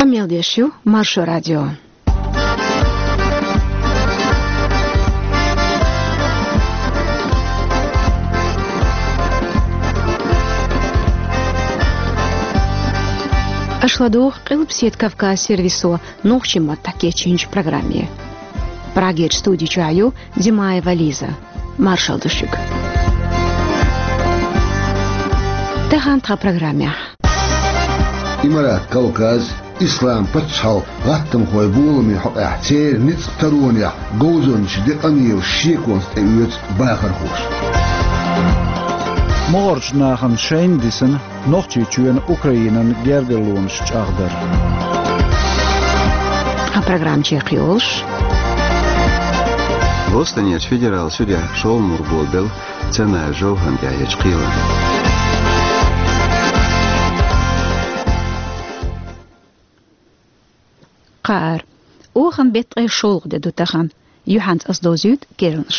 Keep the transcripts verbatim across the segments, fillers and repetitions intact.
Къамел деш ю Маршо радио. Аша ладугӀу Къилбаседа Кавказ сервисо нохчийн маттахь кечйинчу программе. Прагерчу студи чохь ю Димаева Лиза. Маршалла ду шуьга. Тахана тхан программехь. Имарат Кавказ, Ислам пачхьалкх гӀаттамхойн боламийн хьокъехь, церан ницкъ таронехь говзанча де къамелаш шеконца тӀеоьцу бахархоша. МогӀарчу нахана шайна дисина Нохчийчоьнан Украинан гергарлонаш чӀагӀдар. Тхан программа чекхйолуш. Бостонерчу федералан судехь шолгӀа мур болабелла Цанаев Жовхарна тӀехь ечу кхелана. Кхаар. Оханан беттан ткъе шолгӀа де ду тахана. Юьхьанца ас довзуьйту керланаш.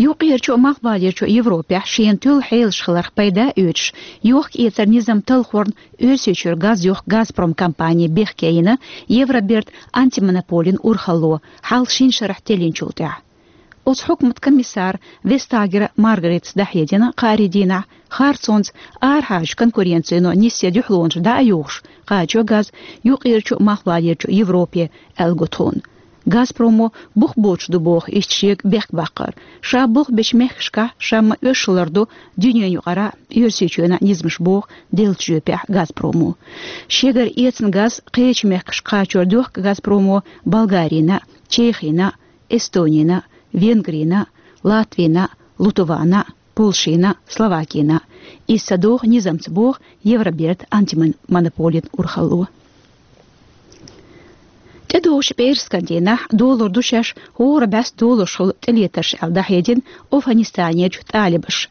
Юккъерчу а, малхбалерчу а Европехь шена туьллу хьелаш хиларх пайда а оьцуш, йохка-эцаран низам талхорна Оьрсийчуьра газ йохку «Газпром» компани бехке йина Евробертан антимонополин урхалло, хьалха шина шарахь теллинчул тӀаьхьа. Оцу хьукматан комиссара Вестагер Маргаритас дӀахьедина кхаарин дийнахь, харцонца, арахьарчу конкуренцино нисъян дуьхьалонаш дӀа а юхуш, кхачо газ юккъерчу а, малхбалерчу а Европе, аьлла го тхуна. «Газпромо» бух боцуш ду боху иштта шега бехк баккхар. Ша болх бечу мехкашкахь ша ма-оьшшу лардо дуьненан юкъара а, Оьрсийчоьнан а низамаш, боху деллачу жоьпехь «Газпромо». Шегара эцна газ кхечу мехкашка кхачор дохку «Газпромо» Болгарина а, Чехина а, Эстонина а, Венгрина а, Латвина а, Литвана а, Польшина а, Словакина а. Иза ца догӀу низамца, боху Евробертан антимонополин урхалло. ТӀедогӀучу пӀераскан дийнахь долур ду шаьш хӀора бӀаьста долуш хуьлу тӀелетарш аьлла дӀахьедина Афганистанерчу талибаша.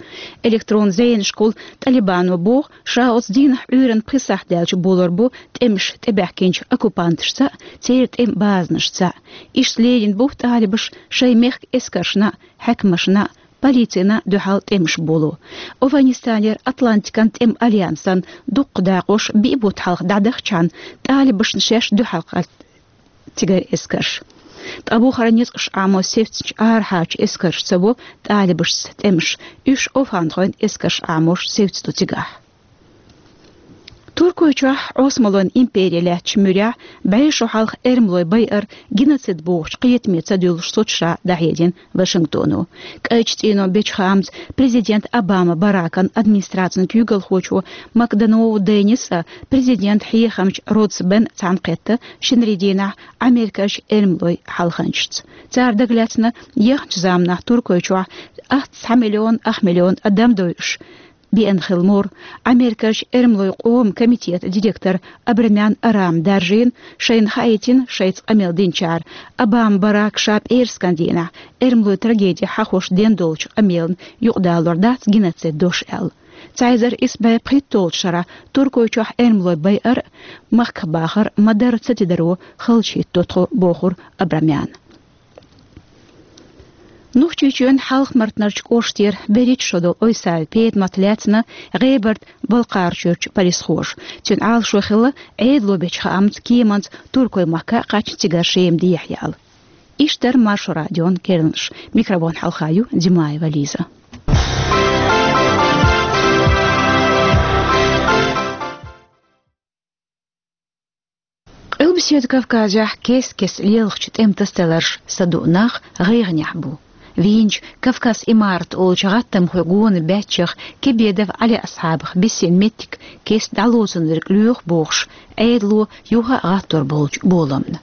Электрон зенашкахула Талибано боху, ша оцу дийнахь Ӏуьйранна пхи сахьт даьлча болур бу тӀемаш тӀебаьхкинчу оккупанташца а, церан тӀеман базанашца а. Иштта лелийна бу талибаша шайн мехкан эскаршна а, хьаькамашна а, полицина а дуьхьал тӀемаш боло. Афганистанера Атлантикан тӀеман альянсан дуккха дакъош биъ бутт хьалха дӀадахча, талибашна шаьш дуьхьал кхаьчна цигара эскарш. Ткъа бухара ницкъаш Ӏамо севцначу арахьарчу эскарша ца во талибашца тӀемаш, уьш афганхойн эскарш Ӏамош севцаду цигахь. Туркойчохь Ӏосмалойн импери лаьттачу муьрехь бӀе шо хьалха эрмалой байар геноцид бохучу кхетаме ца дуьллуш соцуш ша дӀахьедина Вашингтоно. КӀайчу цӀийнон бечу хаамца президент Обама Баракан администрацин куьйгалхочо МакДональд Деннис а, президентан хьехамча Родс Бен а цхьаьнакхетта шинарин дийнахь Америкерчу эрмалойн хьалханчашца. Цара дагалаьцна яхначу заманахь Туркойчохь ах цхьа миллион, ах миллион адам дойуш, биъна хилла мур. Америкерчу эрмалойн къоман комитетан директор Абрамян Арама даржийна, шайна хаийтина шайца къамел динчара, Обама Барака ша пӀераскан дийнахь эрмалойн трагедехь хьахош дина долчу къамелана юкъадалор дац геноцид дош аьлла. Цхьа эзар исс бӀе пхийтталгӀачу шарахь Туркойчохь эрмалой байар а, махках бахар а ма-дарра ца тидаро халчахӀитто тхо, бохура Абрамяна. Нохчийчоьнан Хьалха-Мартанарчу кӀоштера берхӀитта шо долу Ойсаева Петамат лаьцна ГӀебарта-Балкхарачуьрчу полисхоша. Цуьнан Ӏалашо хилла, Ӏедало бечу хаамца, кеманца Туркойн махка а кхаьчна, цигара Шема дехьаяла. Иштта дара Маршо радион керланаш. Микрофон хьалха ю Димаева Лиза. Къилбаседа Кавказехь кест-кеста лелхачу тӀеман тасадаларша саду нах гӀайгӀанехь бу. Вийначу «Кавказ-Имарат» олучу гӀаттамхойн гонан баьччех Кебедов Ӏали-Асхьабах бисина меттиг кеста дӀалоцург лоьху бохуш, Ӏедало юха а гӀаттор болчу боламна.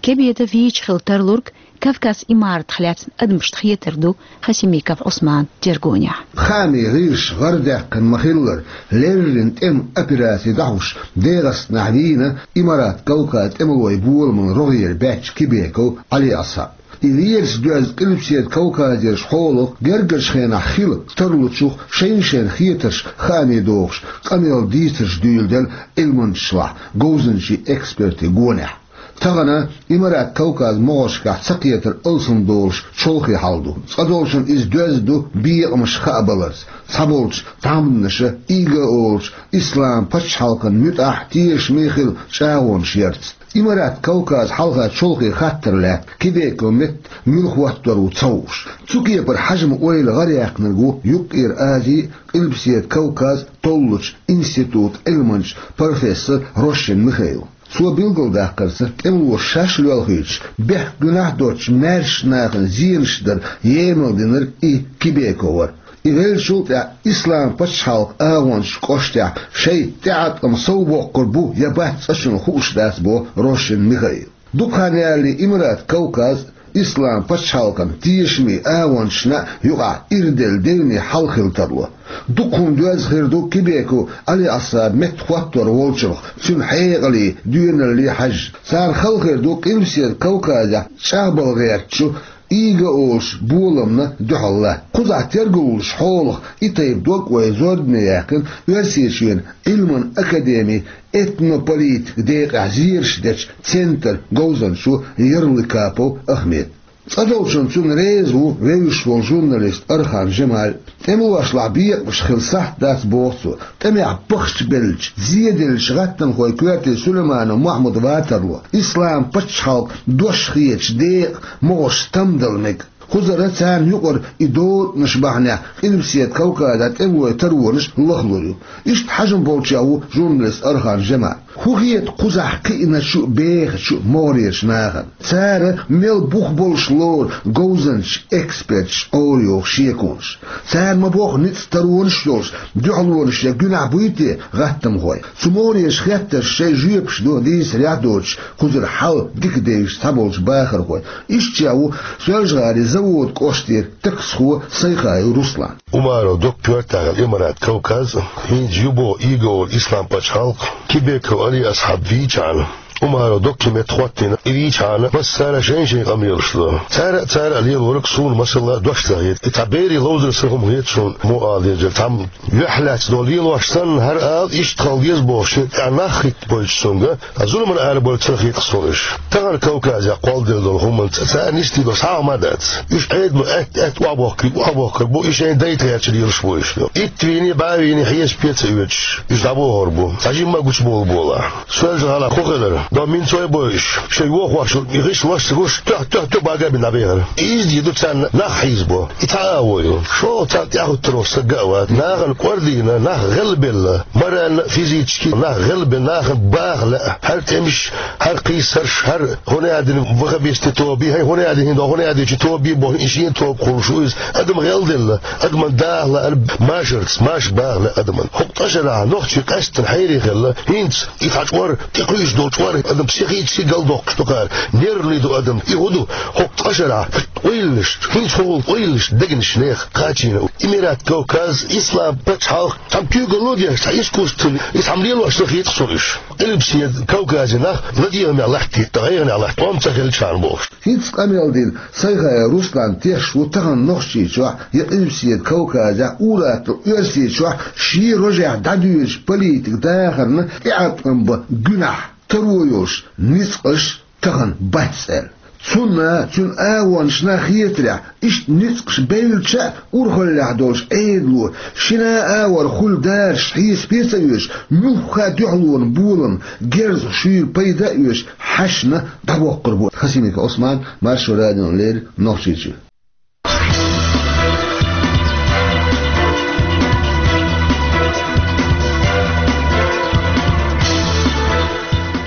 Кебедов вийча хила тарлург «Кавказ-Имаратах» лаьцна адамашна хетарг ду Хасимиков Ӏусманан тергонехь. Хаамийн гӀирсаша гӀарадаьккхина ма-хиллара, леррина тӀеман операци дӀахьош ДегӀастанахь вийна Имарат Кавказ тӀемалойн боламан рогӀера баьчча Кебедов Ӏали-Асхьаб. И лераш доьзна Къилбаседа Кавказерчу хьолах гергарчу хенахь хила тарлучух шайна-шайна хетарш хаамийн дохуш, къамел дийцарш дуьйладелла Ӏилманчашлахь, говзанчийн экспертийн гонехь. Тахана Имарат Кавказ могӀаршкахь цакхетар алсам долуш чолхе хьал ду. Цкъа долчун иза доьзна ду бекъамаш хаа баларца, цхьаболчу тхьамданаша ИГИЛ олучу ислам пачхьалкхан муьтӀахь тешаме хила чӀагӀонаш ярца. Имарат Кавказ хьалха чолхе хаттар лаьтта Кебеков Метта муьлха хӀоттор ву ца хууш. Цу кепара хьажам-ойла гӀараяьккхинарг ву Юккъера Ази а, Къилбаседа Кавказ а толлучу институтан Ӏилманча, профессор Рощин Михаил. Цо билгалдаккхарца, тӀемалоша шаьш лоьлхуьйтуш, бехк-гуьнахь доцучу маьршачу нахана зенаш дар емал динарг и Кебеков вара. И веллачул тӀаьхьа ислам пачхьалкхан агӀончашна кӀоштахь шайн тӀеӀаткъам сов боккхур бу я бац цкъачунна хууш дац, боху Рощин Михаила. Дукха хан ялале Имарат Кавказ а, ислам пачхьалкхан тешаме агӀончашна юкъахь ирделла девне хьал хила тарло. Дукха хӀума доьзна хир ду Кебеков Ӏалиасхьаб Метта хӀоттор волчунах, цуьнан хьекъале, доьналле хьаьжжа. Царна хала хир ду Къилбаседа Кавказехь чӀагӀбала гӀертачу ИГИЛ олучу боламна дуьхьал латта. Кхузахь тергаллуш хьолах и тайпа дог вай зорбане яьккхина Оьрсийчоьнан Ӏилманан академин этнополитикан декъехь зераш дечу центран говзанчо Ярлыкапов Ахмед. Цкъа долчун цунна реза ву вевзаш волу журналист Архан Жамаль. ТӀемалошлахь бекъамаш хила сахьт дац, боху цо. ТӀемехь бахча беллачу, зеделлачу гӀаттамхойн коьрте Сулайманов Махьмуд ван тарло. Ислам пачхьалкхан дош хеташ декъа могӀарш там дала мега. Кхузара царна юкъара и дотанаш бахьанехь Къилбаседа Кавказан тӀемалойн таронаш лахлур ю. Иштта хьажам болчех ву журналист Архан Жамаль. ХӀун хета кхузахь кхиъначу а, бехачу а могӀарерчу нахана? Цара мел бух болуш лору говзанчаш, эксперташ Ӏорайоху шеконаш? Цара ма-бохху ницкъ, таронаш а йолуш, дуьхьалонаш я гуьнахь буй те гӀаттамхойн? Цу могӀарерчу хеттаршна шайн жоьпаш ду дийцарехь а доцуш, кхузара хьал дика девзаш цхьаболчу бахархойн. Ишттачех ву Соьлжа-ГӀалин Заводан кӀоштара таксхо Сайхаев Руслан. Умаров Докан коьртехь хилла Имарат Кавказ, хӀинца ю боху ИГИЛ олу ислам пачхьалкх, Кебеков Ӏалиасхьаб вийчхьана, Умаров Докан Метта хӀоттийна и вийчхьана, массара шайн-шайн къамелаш ло. Цара а, цара а лелориг суна, масала, дош ца хета. И цхьа берийн ловзар санна хӀума хета суна, муха ала дезара, цхьамма юьхь лаьцна долу лелош санна, хӀара ала, иштта хила деза бохуш, шен тӀехь нах хӀиттабойтуш цуьнга, а зуламан арабевлла ца хета суна уьш. Тахана Кавказехь кхолладелла долу хӀуманца царна нисдийр долу схьа а хӀума дац. Уьш Ӏедало аьтта-аьтта охьабохкийла, охьабохкур бу, и шайн дайта гӀертачу лелаш бу уьш. Итт вийний, бӀе вийний хьесап ца оьцуш, уьш дӀабохур бу. Цхьа жимма а гучубовла болахь. Соьлжа-ГӀалахь хӀун хилира? Дон минца вай бойуш, шайн йохош йолу и гӀишлош ца гуш, туьхь-туьхь-туьхь бага бина дӀабехира. И иза дийр ду царна нах хьийзабо. И цхьа а агӀо ю. ШолгӀа царна тӀаьхьахӀуьттур волу стаг а вац. Нахана кӀордийна, нах гӀелбелла, морально а, физически а нах гӀелбелла, нахана баха лаьа. ХӀара тӀемаш, хӀара кхийсарш, хӀара хӀун аьлла дина ваххабистийн тоба, хӀай хӀун аьлла дина, хӀинца хӀун аьлла дина тоба бохуш, и шен тоба хуьлуш ву иза. Адам гӀелделла, адаман даха лаьа машарца, маша баха лаьа адаман. ХӀокху ткъа шарахь нохчий къаьсттина хьерий хилла, хӀинца и цхьа чкъор, тӀекхуьйсуш долу чкъор адам психически галдоккхуш ду кхара, нервный ду адам. И хӀун ду? ХӀокху ткъа шарахь къовлалаш, хӀинца хӀун къовлалаш дегнаш нехан кхачийна. Имарат Кавказ, ислам пачхьалкх, цхьамма куьйгалла а деш, цхьа искусственно, и цхьамма лелош ца хета суна уьш. Къилбаседа Кавказан нах ладегӀамехь латтийта, гӀайгӀанехь латта, тӀом ца хилчхьана бохуш. ХӀинца къамел дина Сайхаев Руслан тешаш ву тахана Нохчийчохь я Къилбаседа Кавказехь, ур-атталла Оьрсийчохь шен рожехь дӀадоьдучу политикан дахарна тӀеӀаткъам бан гуьнахь, таро йолуш ницкъаш тахана бац аьлла. Цунна, цуьнан агӀончашна хетарехь, иштта ницкъаш бевлча а, урхаллехь долуш Ӏедало, шина а агӀор хуьлу дараш хьесапе а ца оьцуш, муьлхха а дуьхьалонан болам, герз шуьйра пайда а оьцуш, хьаьшна дӀабоккхур бу. Хасимиков Ӏусман, Маршо радиона леррина, Нохчийчуьра.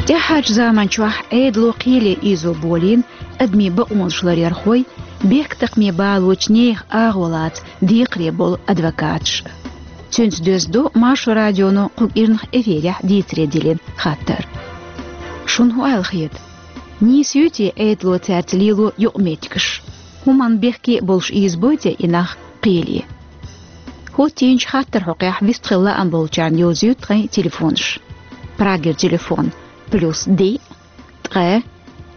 ТӀаьхьарчу заманчохь Ӏедало кхеле ийзо болийна адамийн бакъонаш ларъярхой, бехктакхаме балочу нехан агӀо лаца декхаре болу адвокаташ. Цуьнца доьзна ду Маршо радионо кху кӀирнах эфирехь дийцаре диллина хаттар. Шуна хӀун аьлла хета? Нийса юй те Ӏедало цаьрца лело юкъаметтигаш? ХӀуманна бехке а болуш ийзабой те и нах кхеле? ХӀоттийначу хаттаран хьокъехь вистхила лаам болчарна йовзуьйту тхайн телефонаш. Прагера телефон: плюс диъ, ткъе,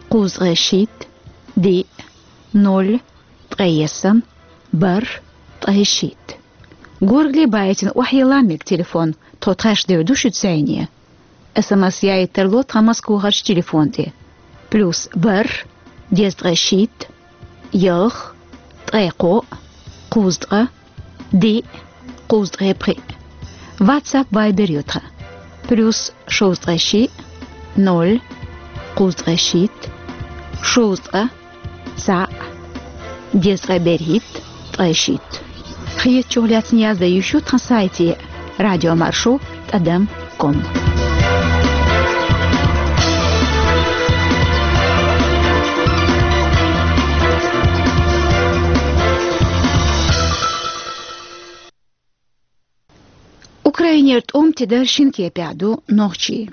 кхузткъе шийтта, диъ, ноль, ткъе ялсамани, бархӀ, ткъе шийтта. Горгали байтина охьайилла мега телефон, тхо тхаьш девр ду шуьца зӀене. СМС яийта тарло тхан Москвахарчу телефон тӀе. плюс ворхӀ, дезткъе шийтта, ялх, ткъе кхоъ, кхузткъа, диъ, кхузткъе пхиъ. WhatsApp, Viber ю тхан. Плюс шовзткъе шиъ, ноль, кхузткъе шийтта, шовзткъа, цхьаъ, дезткъе берхӀитта, ткъе шийтта. Хетачух лаьцна яздан йиш ю тхан сайте: радиомаршо тӀадам ком. Украинера тӀом тидар шин кепехь ду нохчий.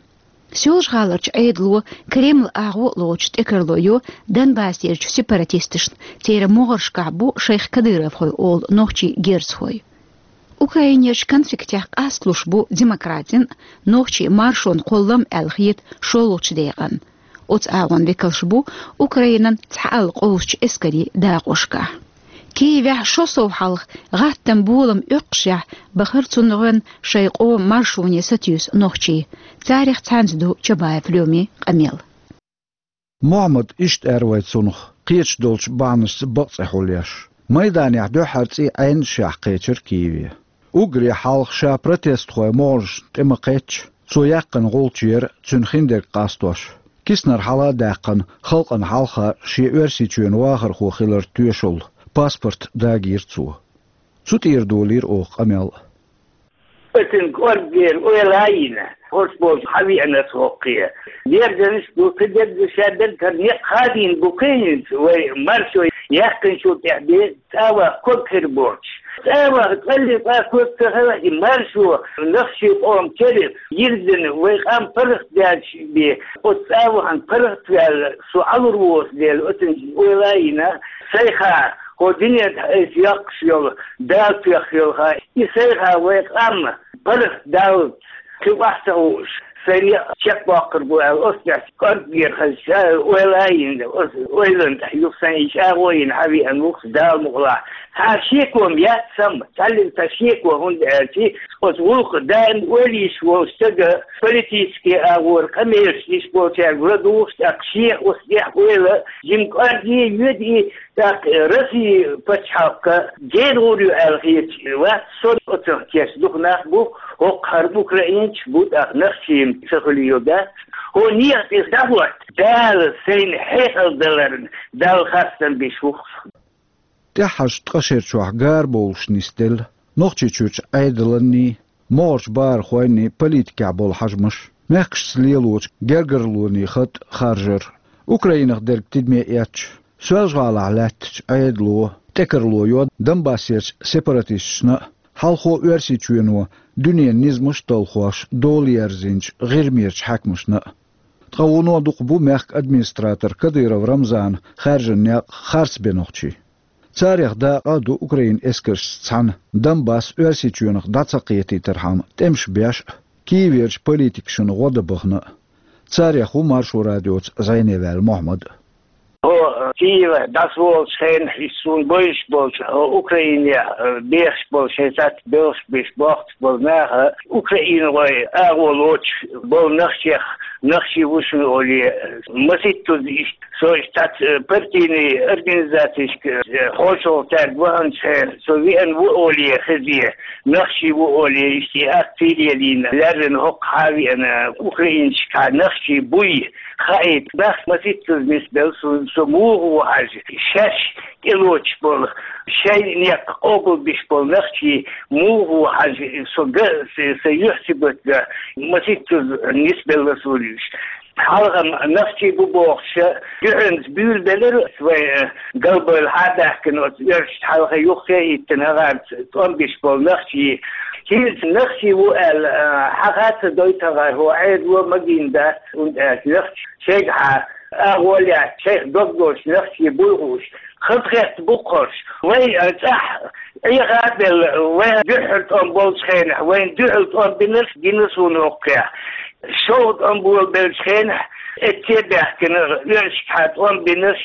Соьлжа-ГӀаларчу Ӏедало Кремлан агӀо а лоцуш тӀекарло йо Донбассерчу сепаратисташна, церан могӀаршкахь бу шайх кадыровхой олу нохчийн герзахой. Украинерчу конфликтехь къасталуш бу демократин а, нохчийн маршонан кхоллам а аьлла хета шолгӀачу декъан. Оцу агӀон векалш бу Украинан цхьаалла къовсучу эскарийн дакъошкахь. Киевехь шо сов хьалха гӀаттаман болам оьккхушехь бахара цунна гӀоьнна шайн къоман маршоне сатуьйсу нохчий. Царех цхьаьнца ду Чабаев Лёмин къамел. Мохьмад иштта аьлла вай цунах, кхеташ долчу бахьанашца бакъ цӀе хьулъеш. Майданехь дуьххьара цӀий Ӏенашехь кхечира Киеве. Уггаре хьалха ша протестхойн могӀаршна тӀе ма-кхеттара, цо яьккхина гӀулч яра цуьнан хиндерг къастош. Киснар хьала а даьккхина, халкъана хьалха шен Оьрсийчоьнан вахархо хилар тоьшалла, паспорт дагийра цо. Цу тӀера долийра оха къамел. Оцун кӀоргера ойла а йина, хӀорш болчу хьан веана аса хӀокхе. Дерзанаш ду, кхидерг ду, ша берг хӀара некъ хадийна бу кхин хӀинца, вай маршо яьккхинчул тӀаьхьа бен цӀа ваха ког хир боцуш. ЦӀа ваха кӀалли цӀа ког ца хилла и маршо, нохчийн къоман кара йирзина, вай къам паргӀат даьлча бен, оцу цӀа вахана паргӀат ваьлла, со Ӏалур воцу дела, оцун ойла а йина, сайха, хӀо дуьнен тӀехь айса йоккхуш йолу, Дала тоьхна йолу ха, и сайха вай къам паргӀат даллалц, кхин охьа ца хууш, сайн некъ чекхбоккхур бу аьлла, оцу тӀехь кӀоргера хаза ша ойла а йина, оцу ойланна тӀехь юха сайн и чӀагӀо а йина хьан веана ву-кх, Дала мукъалахь. Цхьа шеко-м яц сама, цхьаллиг цхьа шеко, хӀунда аьлча оцу гӀуллакх даим ойла йиш волчу стага политически агӀора къамелаш йиш болчаьрга ладугӀуш, тӀаккха шех оцу тӀехь ойла, жима кӀорге а йоьду и, тӀаккха Россин пачхьалкх гена гӀур ю аьлла хеташ вац со, оцунах кечдеш дукха нах бу, хӀокху хӀара украинцаш бу, тӀаккха нохчий ца хуьлийла дац. ХӀокху некъа тӀе дӀахӀотта, Дала сайна хьекъал даларна, Далла хастам беш ву-кх со. ТӀаьххьарчу ткъа шерачохь гарабовлуш нисделла Нохчийчуьрчу Ӏедаланний, могӀарчу бахархойнний политикехь болу хьажамаш, мехкашца лелочу гергарлонийн хатӀ харжар, Украинах дерг тидаме эцча, Соьлжа-ГӀалахь лаьттачу Ӏедало тӀекарло йо Донбассерчу сепаратисташна а, хьалхо Оьрсийчоьно дуьненан низамаш а талхош дола ерзинчу ГӀирмерчу хьаькамашна а. Ткъа вуно дукха бу мехкан администратор Кадыров Рамзана хаьржина некъ харц бен нохчий. Царех дакъа а ду Украинан эскаршца цхьаьна Донбасс Оьрсийчоьнах дӀа ца кхетийтархьама тӀемаш беш а, Киеверчу политикашна гӀо дан бахана а. Царех ву Маршо радиоца зӀене ваьлла Мохьмад. ХӀо Киеве дӀасаволучу хенахь, иза суна бовзуш болчу, хӀо Украинехь, э, бехаш болу, шайн цхьацца белхаш беш бохкуш болу наха, украинхой агӀо лоцуш болу нахчех, нахчий ву шуна олий, масийттаза иштта, со иштта цхьацца, э, партийный организацешка, э, хьошалгӀа цаьрга ваханчу хенахь, со веана ву олий хезий, нахчий ву олий, иштта и акци лелийна, лаьррина хӀокху хьа а веана, украинчохь нахчий буй хаийта, нах масийттаза нисбелла суна, со муха ву хьажа, шаьш тӀелоцуш болу, шайн некъ къобалбеш болу нахчий муха ву хьажа, со га, сан юьхь цигахь га, масийттаза нисбелла суна уьш. Хьалха-м нахчий бу бохуш, дуьхьанца буьйлабелира вай, э, галбевлла хьа а даьхкина оцу оьрсашна, хьалха юххе а хӀиттина хӀокхарца тӀом беш болу нахчий. ХӀинца нахчий ву аьлла, э, хьаха а ца дойту хӀокхара, хӀо Ӏедало магийна дац, хӀунда аьлча нахча шайгахьа агӀо лаьцна, шайх дог долуш нахчий буй хууш, хазахетта бу-кх хӀорш. Вай, э, цӀахь Ӏеха а белла, вайн дуьххьара тӀом болчу хенахь, вайна дуьхьал тӀом бинарш гина суна хӀокхехь. ШолгӀа тӀом болабеллачу хенахь, эцца а баьхкина, оьрсашкахьа тӀом бинарш,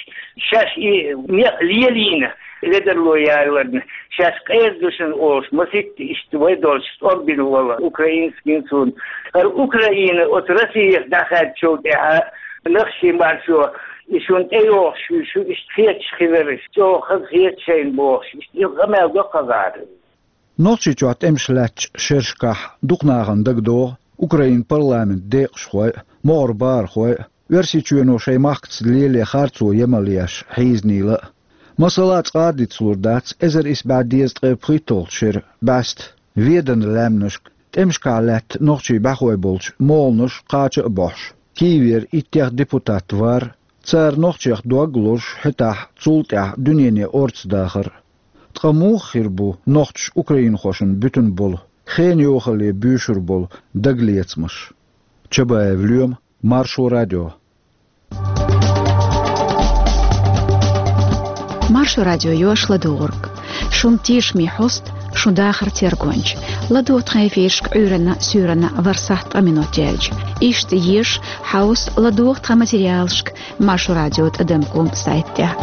шаьш и некъ лелийна, ледарло яларна, шаьш къера ду шуна олуш, маситта иштта вай долчу тӀом бина волу украинец гина суна. ХӀара Украина оцу Россиех дӀахаьддачул тӀаьхьа, Лахшийн маршо, и шуна тӀейогӀуш ю, шу иштта хеташ хилараш, чӀогӀа хаза хета шайна бохуш, иштта и къамел до кхазара. Нохчийчохь тӀемаш лаьттачу шерашкахь дукха нахана дагадогӀу Украинан парламентан декъашхой а, могӀара бахархой а, Оьрсийчоьно шайн махкаца лело харцо емал еш хьийзанийла а. Масала, цкъа а дицлур дац эзар исс бӀе дезткъе пхийтталгӀачу шеран бӀаьста Веданан лаьмнашка тӀемашкахь лаьтта нохчийн бӀаьхой болчу молханаш кхача а бохьуш, Киевера иттех депутат вар, цара нохчех дог а лозуш, хӀетахь цул тӀаьхьа дуьнене орца дахар. Ткъа муха хир бу нохчаша украинхошна буьтун болу, хенан йохалле буьйшур болу дагалецамаш? Чабаев Лоьма, Маршо радио. Маршо радио йош ладугӀург. Шун тешаме хьост, шун дахар тергонча. ЛадугӀа тхан эфирашка Ӏуьйранна, суьйранна ворхӀ сахьт ткъа минот яьлча. Иштта еза, хьовса, ладугӀа тхан материалашка Маршо радио тӀадам ком сайт тӀехь.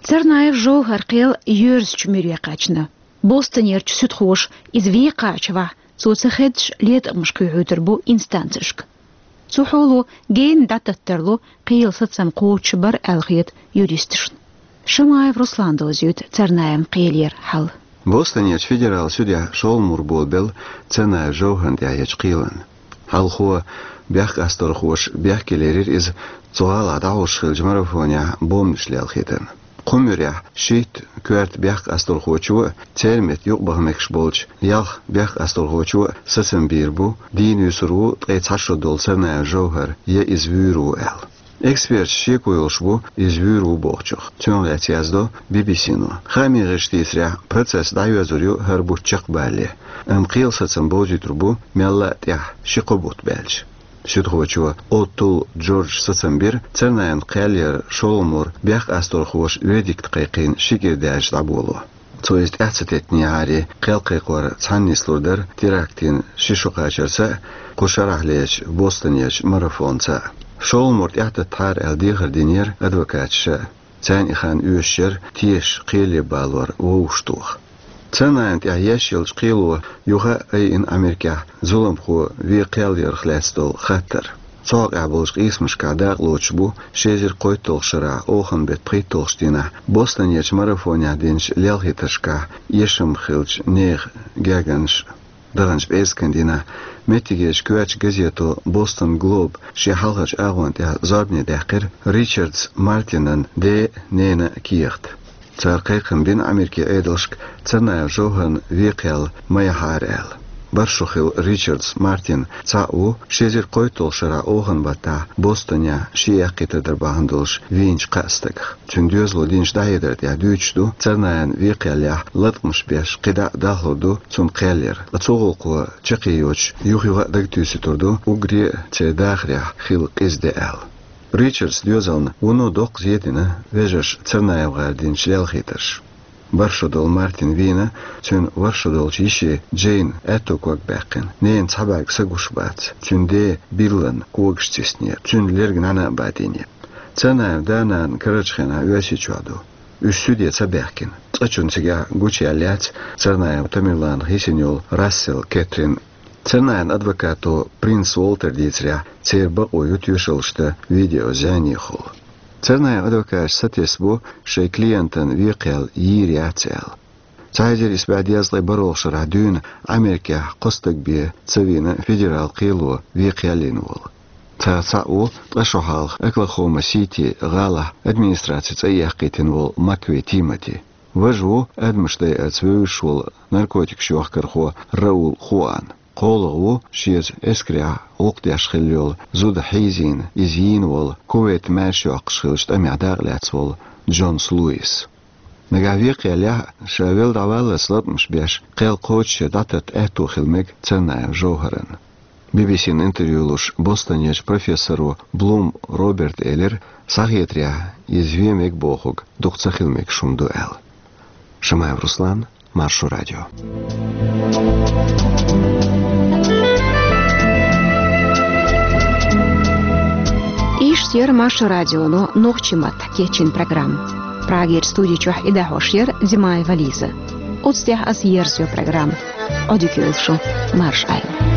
Царнаев Жовхар кхел йоьрзучу муьре кхаьчна. Бостонерчу суьдхоша иза вен кхачавахь, цо ца хеддаш летамаш кхоьхьуьйтур бу инстанцешка. Цу хьоло генна дӀататтарло кхелан сацам кхочуш бар аьлла хета юристашна. Шамаев Руслана довзуьйту Царнаевн кхелера хьал. Бостонерчу федералан суьдехь шолгӀа мур болабелла Царнаев Жовхарна тӀехь ечу кхелан. Хьалхо бехкасталхоша бехке лерира иза цу гӀалахь дӀахьош хиллачу марафонехь бомбанаш лелхийтарна. Кху муьрехь шийтта коьрта бехкасталхочо а, церан метта юкъабаха мегаш болчу ялх бехкасталхочо а сацам бийр бу, дийна вуьсур ву ткъе цхьа шо долу Царнаев Жовхар, я иза вуьйр ву аьлла. Эксперташ шеко йолуш бу иза вуьйр ву бохучух. Цунах лаьцна яздо Би-би-си-но. Хаамийн гӀирсаша дийцарехь, процесс дӀайоьзур ю хӀара бутт чекхбалале, амма кхелан сацам бовзуьйтур бу мелла а тӀаьхьа ши-кхо бутт баьлча. Суьдхочо О'Тулл Джорджа сацам бира Царнаевн кхел яр шолгӀа мур бехкасталхоша вердикт кхайкхийна ши кӀира даьлча дӀаболо. Цо иза тӀаьхьа ца теттинехьара, кхел кхайкхор цхьаьна нислур дара терактан ши шо кхачарца а, кху шарахь лелачу Бостонерчу марафонца а. ШолгӀа мур тӀаьхьататтахьара аьлла дехар динера адвокаташа. Царна и хан оьшуш яра тешаш кхеле балор вовшахтоха. Царнаевна тӀехь еш йолчу кхело юха а айина Америкехь зуламхо вен кхел ярх лаьцна долу хаттар. Цу хьокъехь болчу къийсамашкахь дакъалоцуш бу ши эзар кхойтталгӀачу шарахь оханан беттан пхийтталгӀачу дийнахь Бостонерчу марафонехь динчу лелхийтаршкахь эшам хиллачу нехан гаьгганаш а. Даханчу пӀераскан дийнахь меттигерчу коьртачу газето Бостон Глоб шен хьалхарчу агӀонна тӀехь зорбане даьккхира Ричардс Мартинан ден а, ненан а кехат. Цара кхайкхам бина Америкин Ӏедалшка Царнаев Жовхарна вен кхел ма яхьара аьлла. БархӀ шо хилла Ричардс Мартин цхьаъ ву ши эзар кхойтталгӀачу шарахь оханан баттахь Бостонехь шен яккхийтар дар бахьана долуш вийначу кхаа стагах. Цуьнан доьзало динчу дӀахьедар тӀехь дуьйцуш ду, Царнаевн вен кхел яхь латкъамаш беш кхидӀа а далхалур ду цуьнан кхел яр, ткъа цу гӀуллакхо чаккхе йоцуш юха-юха а дагатуьйсур ду уггаре а церан дахарехь хилла къиза де аьлла. Ричардс доьзална вуно доккха зен дина вежарша ЦарнаевгӀара динчу лелхийтарша. БархӀ шо долу Мартин вийна, цуьнан ворхӀ шо долчу йише Джейн аьтто ког баьккхина. Ненан цхьа бӀаьрг са гуш бац. Цуьнан ден Биллан когаш циснера, цуьнан лерг нӀаьна а бадийне. Царнаевн да-нана карарчу хенахь Оьрсийчохь ду. Уьш суьде ца баьхкина. Цкъачунна цигахь гучуяьлла яц Царнаев Тамерланах йисина йолу Рассел Кэтрин. Царнаевн адвокато Принц Уолтера дийцарехь, церан бакъо ю тоьшаллаш дан видео зӀенехула. Царнаевн адвокаташа сатесна бу шайн клиентан вен кхел йийр яц аьлла. Цхьа эзар исс бӀе дезткъе бархӀалгӀачу шарахь дуьйна Америкехь кхо стаг бен ца вийна федералан кхело вен кхел йина волу. Царах цхьаъ ву ткъа шо хьалха Оклахома-Сити гӀалахь администрацин цӀа яккхийтина волу Маквей Тимоти. Важа ву адамаш дайарца вевзаш волу наркотикаш йохкархо Раул Хуан. КхоалгӀа ву шеца эскарехь гӀуллакх деш хилла йолу зуда хьийзийна, иза йийна волу, Кувейт маьрша йоккхуш хиллачу тӀамехь дакъалаьцна волу Джонс Луис. Нагахь вен кхел яхь а, ша велла дӀаваллалц латкъамаш беш, кхел кхочушъян дӀататта аьтто хила мега Царнаев Жовхаран. Би-би-сина интервью луш Бостонерчу профессоро Блум Роберта элира, схьахетарехь, иза вен мега бохург дукха ца хила мегаш хӀума ду аьлла. Шамаев Руслан, Маршо радио. Иштта яра Маршо радионо нохчийн маттахь кечйина программа. Прагерчу студи чохь и дӀахьош яра Димаева Лиза. Оцу тӀехь аса ерзайо программа. Ӏодика йойла шун, марша Ӏойла.